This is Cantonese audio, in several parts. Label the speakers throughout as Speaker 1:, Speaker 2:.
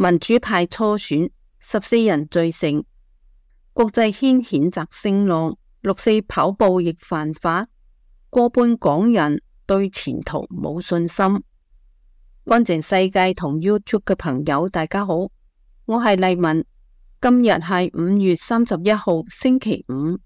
Speaker 1: 民主派初選14人罪成，國際掀譴責聲浪。6.4跑步亦犯法，過半港人對前途冇信心。安靜世界同 YouTube 嘅朋友大家好，我係麗文，今日係5月31號星期五。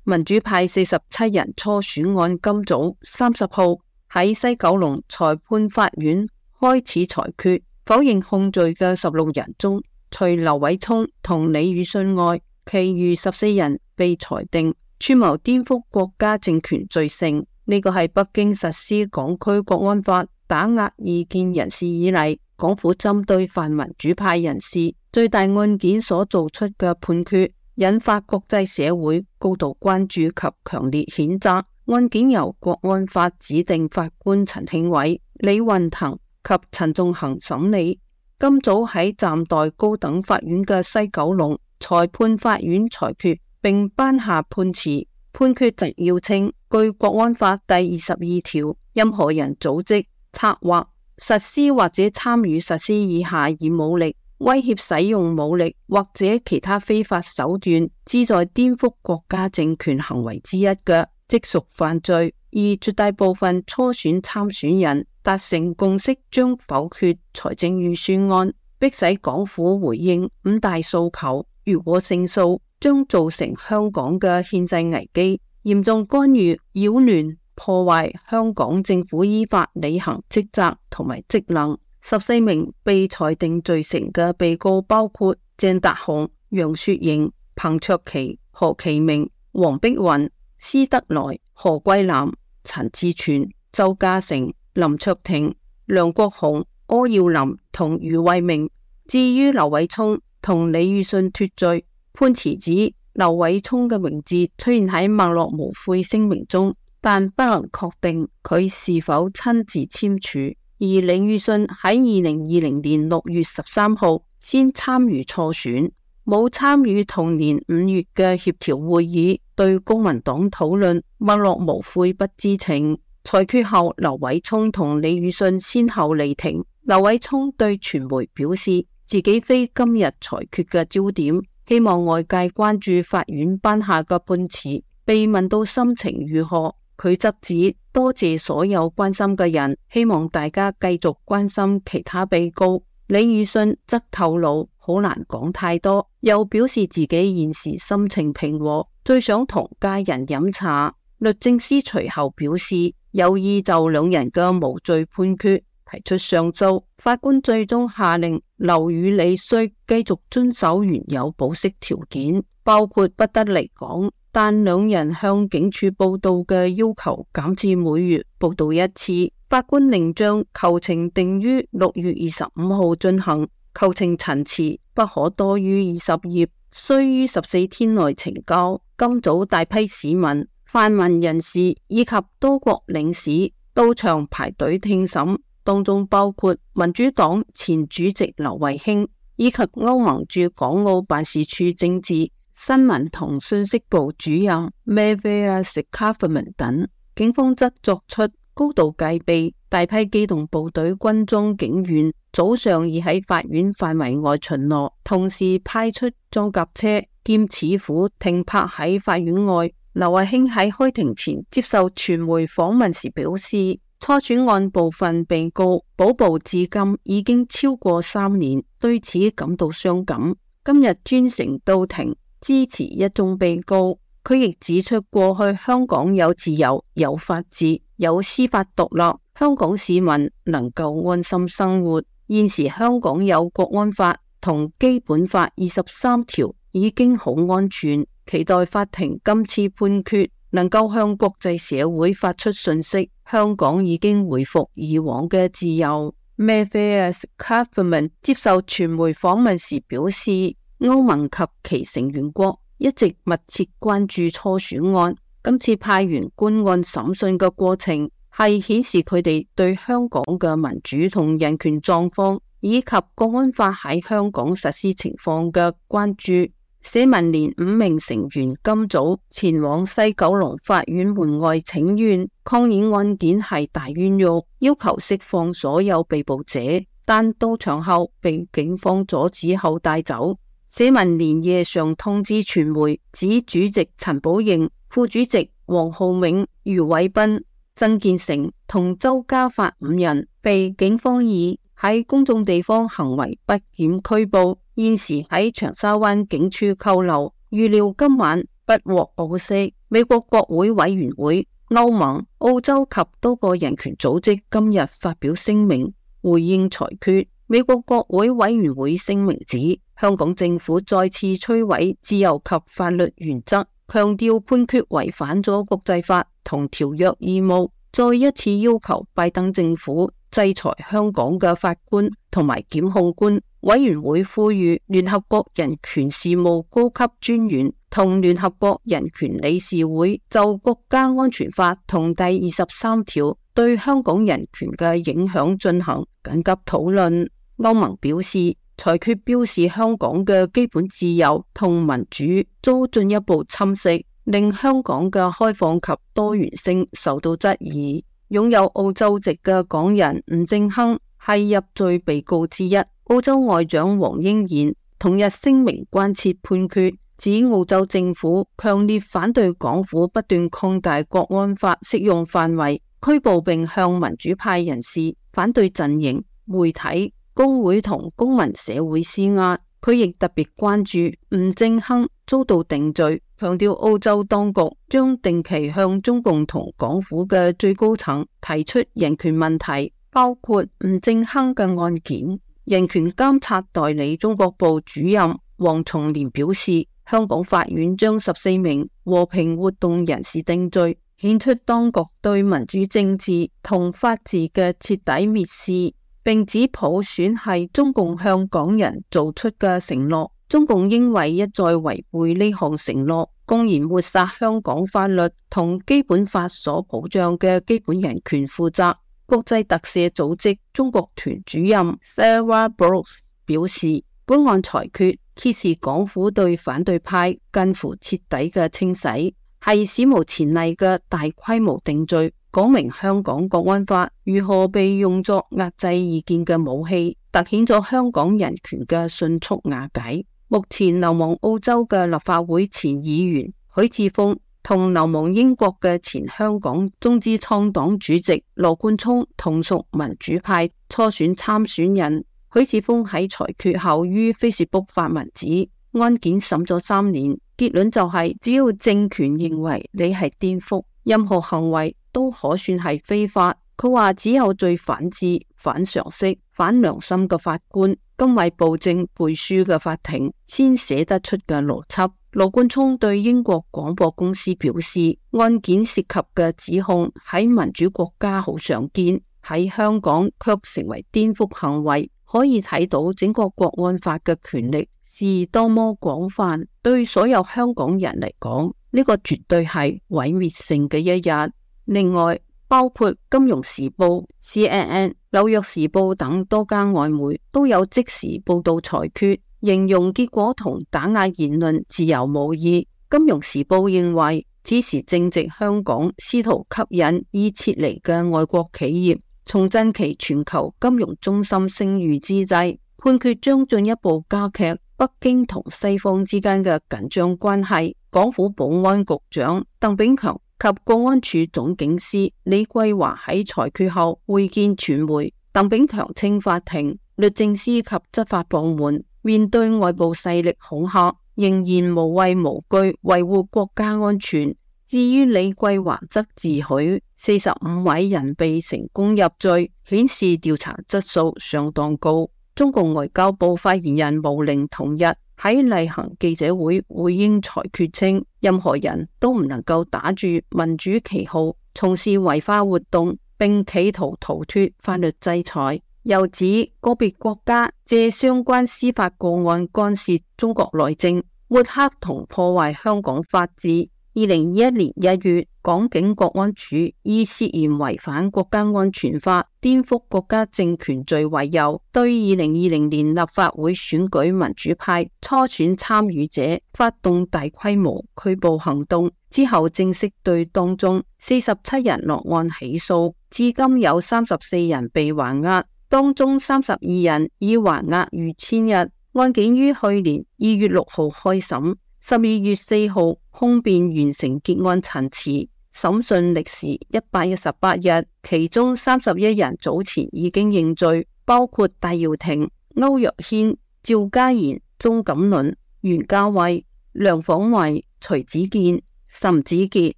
Speaker 1: 民主派47人初選案今早30號喺西九龍裁判法院開始裁決，否認控罪嘅16人中，除劉偉聰同李宇信外，其餘14人被裁定串謀顛覆國家政權罪成。呢個係北京實施港區國安法打壓異見人士以嚟，港府針對泛民主派人士最大案件所做出嘅判決，引發國際社會高度關注及強烈譴責。案件由國安法指定法官陳慶偉、李運騰及陳仲衡審理。今早喺暫代高等法院嘅西九龍裁判法院裁決並頒下判詞，判決摘要稱，據國安法第22條，任何人組織、策劃、實施或者參與實施以下以武力、威脅使用武力或者其他非法手段，旨在顛覆國家政權行為之一嘅，即屬犯罪。而絕大部分初選參選人達成共識，將否決財政預算案，迫使港府回應5大訴求。如果勝訴，將造成香港嘅憲制危機，嚴重干預、擾亂、破壞香港政府依法履行職責同埋職能。14名被裁定罪成嘅被告包括鄭達鴻、楊雪瑩、彭卓棋、何其明、黃碧雲、施德來、何桂藍、陳志全、周家成、林卓廷、梁國雄、柯耀林同余慧明。至於劉偉聰同李宇信脫罪，判詞指劉偉聰嘅名字出現喺墨落無悔聲明中，但不能確定佢是否親自簽署。而李宇信喺2020年6月13號先參與初選，冇參與同年5月嘅協調會議，對公民黨討論墨落無悔不知情。裁決後，劉偉聰同李宇信先後離庭。劉偉聰對傳媒表示，自己非今日裁決嘅焦點，希望外界關注法院頒下嘅判詞。被問到心情如何，佢則指多謝所有關心嘅人，希望大家繼續關心其他被告。李宇信則透露好難講太多，又表示自己現時心情平和，最想同家人飲茶。律政司隨後表示有意就兩人嘅無罪判決提出上訴。法官最終下令劉與李須繼續遵守原有保釋條件，包括不得離港，但兩人向警署報到嘅要求減至每月報到1次。法官另將求情定於6月25號進行，求情陳詞不可多於20頁，須於14天內呈交。今早大批市民、泛民人士以及多國領事到場排隊聽審，當中包括民主黨前主席劉慧卿以及歐盟駐港澳辦事處政治、新聞同信息部主任 Maria Scarfman 等。警方則作出高度戒備，大批機動部隊、軍裝警員早上已喺法院範圍外巡邏，同時派出裝甲車兼齒虎停泊喺法院外。劉慧卿喺開庭前接受傳媒訪問時表示，初選案部分被告保捕至今已經超過3年，對此感到傷感。今日專程到庭支持一眾被告。佢亦指出，過去香港有自由、有法治、有司法獨立，香港市民能夠安心生活。現時香港有國安法同基本法23條，已經好安全。期待法庭今次判決能夠向國際社會發出訊息，香港已經回復以往嘅自由。Matthias Kaufman 接受傳媒訪問時表示，歐盟及其成員國一直密切關注初選案，今次派員觀案審訊嘅過程係顯示佢哋對香港嘅民主同人權狀況以及國安法喺香港實施情況嘅關注。社民連5名成員今早前往西九龍法院門外請願，抗議案件係大冤獄，要求釋放所有被捕者，但到場後被警方阻止後帶走。社民連夜上通知傳媒，指主席陳寶瑩、副主席黃浩銘、余偉斌、曾建成同周家發5人被警方以喺公眾地方行為不檢拘捕，現時喺長沙灣警署扣留，預料今晚不獲保釋。美國國會委員會、歐盟、澳洲及多個人權組織今日發表聲明回應裁決。美國國會委員會聲明指，香港政府再次摧毀自由及法律原則，強調判決違反咗國際法同條約義務，再一次要求拜登政府制裁香港嘅法官同埋檢控官。委員會呼籲聯合國人權事務高級專員同聯合國人權理事會就國家安全法同第23條對香港人權嘅影響進行緊急討論。歐盟表示，裁決表示香港嘅基本自由同民主遭進一步侵蝕，令香港嘅開放及多元性受到質疑。擁有澳洲籍嘅港人吳政亨係入罪被告之一。澳洲外長黃英賢同日聲明關切判決，指澳洲政府強烈反對港府不斷擴大國安法適用範圍，拘捕並向民主派人士、反對陣營、媒體、工會同公民社會施壓。佢亦特別關注吳政亨遭到定罪，強調澳洲當局將定期向中共同港府嘅最高層提出人權問題，包括吳政亨嘅案件。人權監察代理中國部主任黃松年表示，香港法院將14名和平活動人士定罪，顯出當局對民主政治同法治嘅徹底蔑視，並指普選係中共向港人做出嘅承諾，中共應為一再違背呢項承諾，公然抹殺香港法律同基本法所保障嘅基本人權負責。國際特赦組織中國團主任 Sarah Brooks 表示，本案裁決揭示港府對反對派近乎徹底嘅清洗，係史無前例嘅大規模定罪，講明香港國安法如何被用作壓制意見嘅武器，凸顯咗香港人權嘅迅速瓦解。目前流亡澳洲嘅立法會前議員許智峰同流亡英國嘅前香港中資創黨主席羅冠聰同屬民主派初選參選人。許智峰喺裁決後於 Facebook 發文指，案件審咗3年，結論就係只要政權認為你係顛覆，任何行為都可算係非法。佢話只有最反智、反常識、反良心嘅法官，甘為暴政背書嘅法庭先寫得出嘅邏輯。羅冠聰對英國廣播公司表示，案件涉及嘅指控喺民主國家好常見，喺香港卻成為顛覆行為，可以睇到整個國安法嘅權力是多麼廣泛。對所有香港人嚟講，呢個絕對係毀滅性嘅一日。另外，包括金融時報、CNN、紐約時報等多間外媒都有即時報道裁決，形容結果同打壓言論自由無異。金融時報認為，此時正值香港試圖吸引已撤離嘅外國企業，重振其全球金融中心聲譽之際，判決將進一步加劇北京同西方之間嘅緊張關係。港府保安局長鄧炳強及國安處總警司李桂華喺裁決後會見傳媒。鄧炳強稱法庭、律政司及執法部門面對外部勢力恐嚇，仍然無畏無懼維護國家安全。至於李桂華則自詡45位人被成功入罪，顯示調查質素相當高。中共外交部發言人毛寧同日喺例行記者會回應裁決稱，任何人都唔能夠打住民主旗號從事違法活動，並企圖逃脫法律制裁。又指個別國家借相關司法個案干涉中國內政，抹黑同破壞香港法治， 2021年1月，港警國安處以涉嫌違反國家安全法、顛覆國家政權罪為由，對2020年立法會選舉民主派初選參與者發動大規模拘捕行動，之後正式對當中47人落案起訴，至今有34人被還押，當中32人已還押逾1000日。案件於去年2月6號開審，12月4號控辯完成結案陳詞，審訊歷時118日，其中31人早前已經認罪，包括戴耀廷、區諾軒、趙家賢、鍾錦麟、袁嘉蔚、梁晃維、徐子健、岑子傑、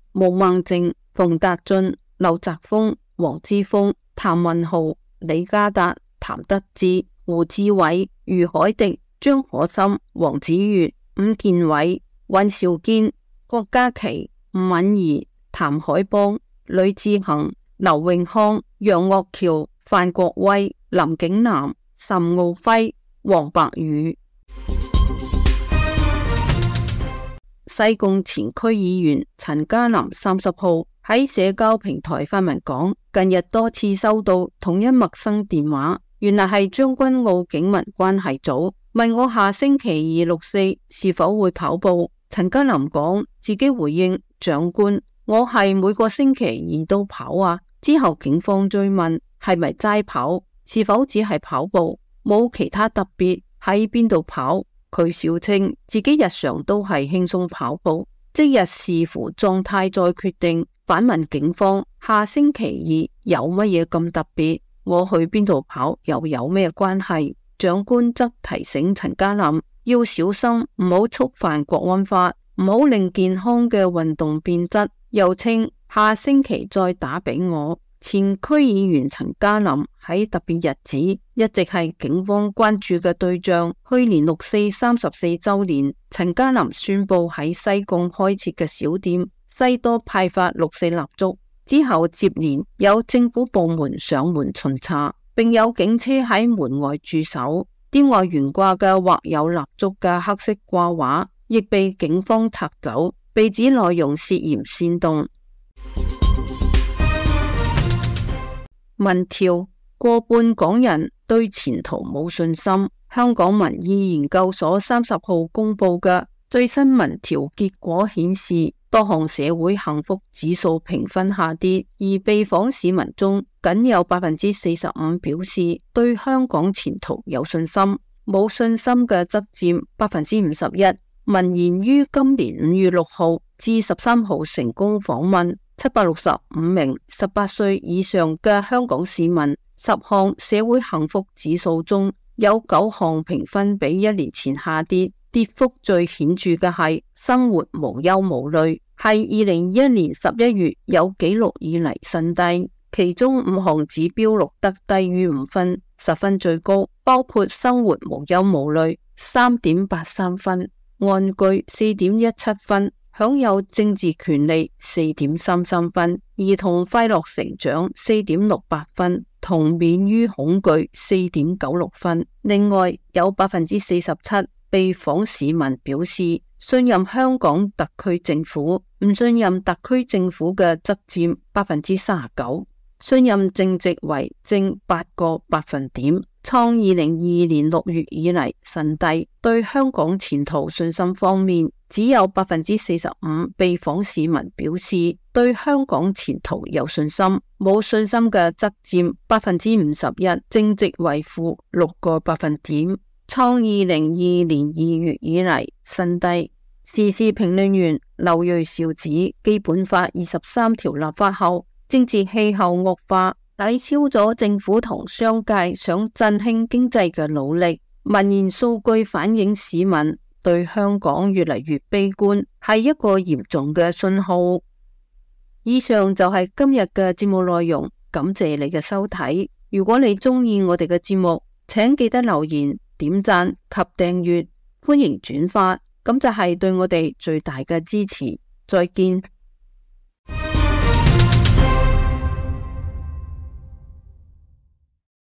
Speaker 1: 毛孟靜、馮達俊、劉澤鋒、黃之鋒、譚文豪、李家達、譚德志、胡志偉、余海迪、張可心、黃子悅、伍健偉、尹兆堅、郭家麒、吳敏儀、譚海邦、呂志恒、劉永康、楊岳橋、范國威、林景南、岑敖暉、黃伯宇。西貢前區議員陳家林30號喺社交平台發文講，近日多次收到同一陌生電話，原來係將軍澳警民關係組，問我下星期2、6、4是否會跑步。陳家林講自己回應，長官，我係每個星期2都跑啊。之後警方追問係咪齋跑，是否只係跑步，冇其他特別，喺邊度跑。佢笑稱自己日常都係輕鬆跑步，即日視乎狀態再決定。反問警方下星期2有乜嘢咁特別，我去邊度跑又有咩關係？長官則提醒陳家林要小心，唔好觸犯國安法，唔好令健康嘅運動變質。又稱下星期再打俾我。前區議員陳家林喺特別日子一直係警方關注嘅對象。去年6、4 34週年，陳家林宣布喺西貢開設嘅小店西多派發6、4蠟燭，之後接連有政府部門上門巡查，並有警車喺門外駐守。店外懸掛嘅畫有蠟燭嘅黑色掛畫亦被警方拆走，被指內容涉嫌煽動。民調，過半港人對前途冇信心。香港民意研究所30號公布嘅最新民調結果顯示，多項社會幸福指數評分下跌，而被訪市民中僅有45%表示對香港前途有信心，冇信心嘅則佔51%。民研於今年5月6號至13號成功訪問765名18歲以上嘅香港市民，10項社會幸福指數中有9項評分比1年前下跌，跌幅最顯著嘅係生活無憂無慮，係2021年11月有紀錄以嚟新低。其中5項指標錄得低於5分，10分最高，包括生活無憂無慮3.83分，安居4.17分，享有政治權利4.33分，兒童快樂成長4.68分，同免於恐懼4.96分。另外有47%被訪市民表示信任香港特區政府，唔信任特區政府嘅則佔39%，信任正值為正8個百分點，創2022年6月以嚟新低。對香港前途信心方面，只有45%被訪市民表示對香港前途有信心，冇信心嘅則佔51%，正值為負6個百分點，創2022年2月以嚟新低。時事評論員劉銳紹指，基本法23條立法後，政治氣候惡化，抵消咗政府同商界想振興經濟嘅努力。民研數據反映市民對香港越嚟越悲觀，係一個嚴重嘅信號。以上就係今日嘅節目內容，感謝你嘅收睇。如果你鍾意我哋嘅節目，請記得留言、點讚及訂閱，歡迎轉發，咁就係對我哋最大嘅支持。再見。